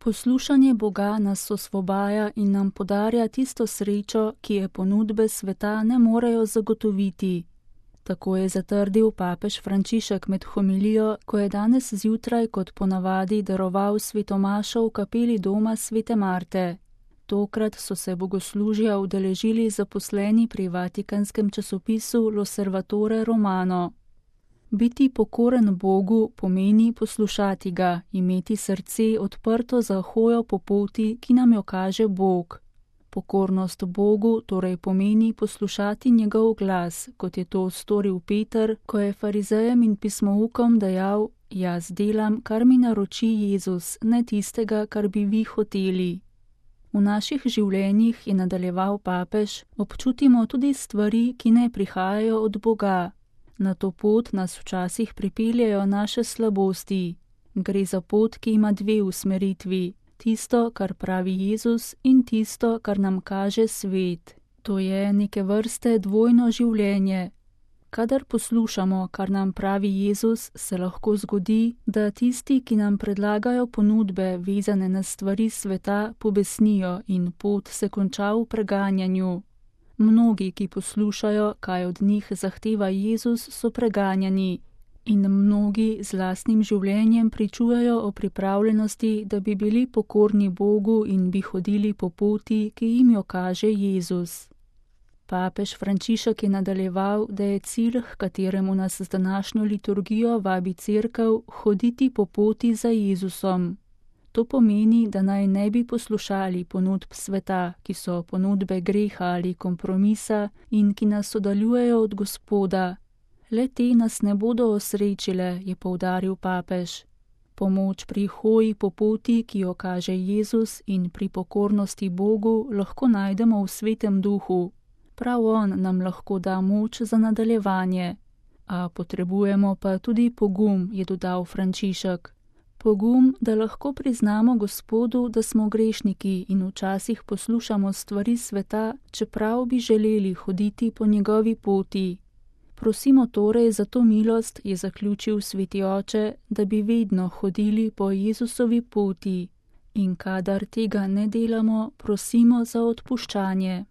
Poslušanje Boga nas osvobaja in nam podarja tisto srečo, ki je ponudbe sveta ne morejo zagotoviti. Tako je zatrdil papež Frančišek med homilijo, ko je danes zjutraj kot ponavadi daroval svetomašo v kapeli doma svete Marte. Tokrat so se bogoslužja udeležili zaposleni pri vatikanskem časopisu L'Osservatore Romano. Biti pokoren Bogu pomeni poslušati ga, imeti srce odprto za hojo po poti, ki nam jo kaže Bog. Pokornost Bogu torej pomeni poslušati njegov glas, kot je to storil Peter, ko je farizejem in pismoukom dejal: jaz delam, kar mi naroči Jezus, ne tistega, kar bi vi hoteli. V naših življenjih, je nadaljeval papež, občutimo tudi stvari, ki ne prihajajo od Boga. Na to pot nas včasih pripeljejo naše slabosti. Gre za pot, ki ima dve usmeritvi. Tisto, kar pravi Jezus, in tisto, kar nam kaže svet. To je neke vrste dvojno življenje. Kadar poslušamo, kar nam pravi Jezus, se lahko zgodi, da tisti, ki nam predlagajo ponudbe vezane na stvari sveta, pobesnijo in pot se konča v preganjanju. Mnogi, ki poslušajo, kaj od njih zahteva Jezus, so preganjani. In mnogi z lastnim življenjem pričujejo o pripravljenosti, da bi bili pokorni Bogu in bi hodili po poti, ki jim jo kaže Jezus. Papež Frančišek je nadaljeval, da je cilj, h kateremu nas z današnjo liturgijo vabi Cerkev, hoditi po poti za Jezusom. To pomeni, da naj ne bi poslušali ponudb sveta, ki so ponudbe greha ali kompromisa in ki nas oddaljujejo od Gospoda. Le te nas ne bodo osrečile, je poudaril papež. Pomoč pri hoji po poti, ki jo kaže Jezus, in pri pokornosti Bogu lahko najdemo v Svetem Duhu. Prav on nam lahko da moč za nadaljevanje. A potrebujemo pa tudi pogum, je dodal Frančišek. Pogum, da lahko priznamo Gospodu, da smo grešniki in včasih poslušamo stvari sveta, čeprav bi želeli hoditi po njegovi poti. Prosimo torej za to milost, je zaključil sveti oče, da bi vedno hodili po Jezusovi poti. In kadar tega ne delamo, prosimo za odpuščanje.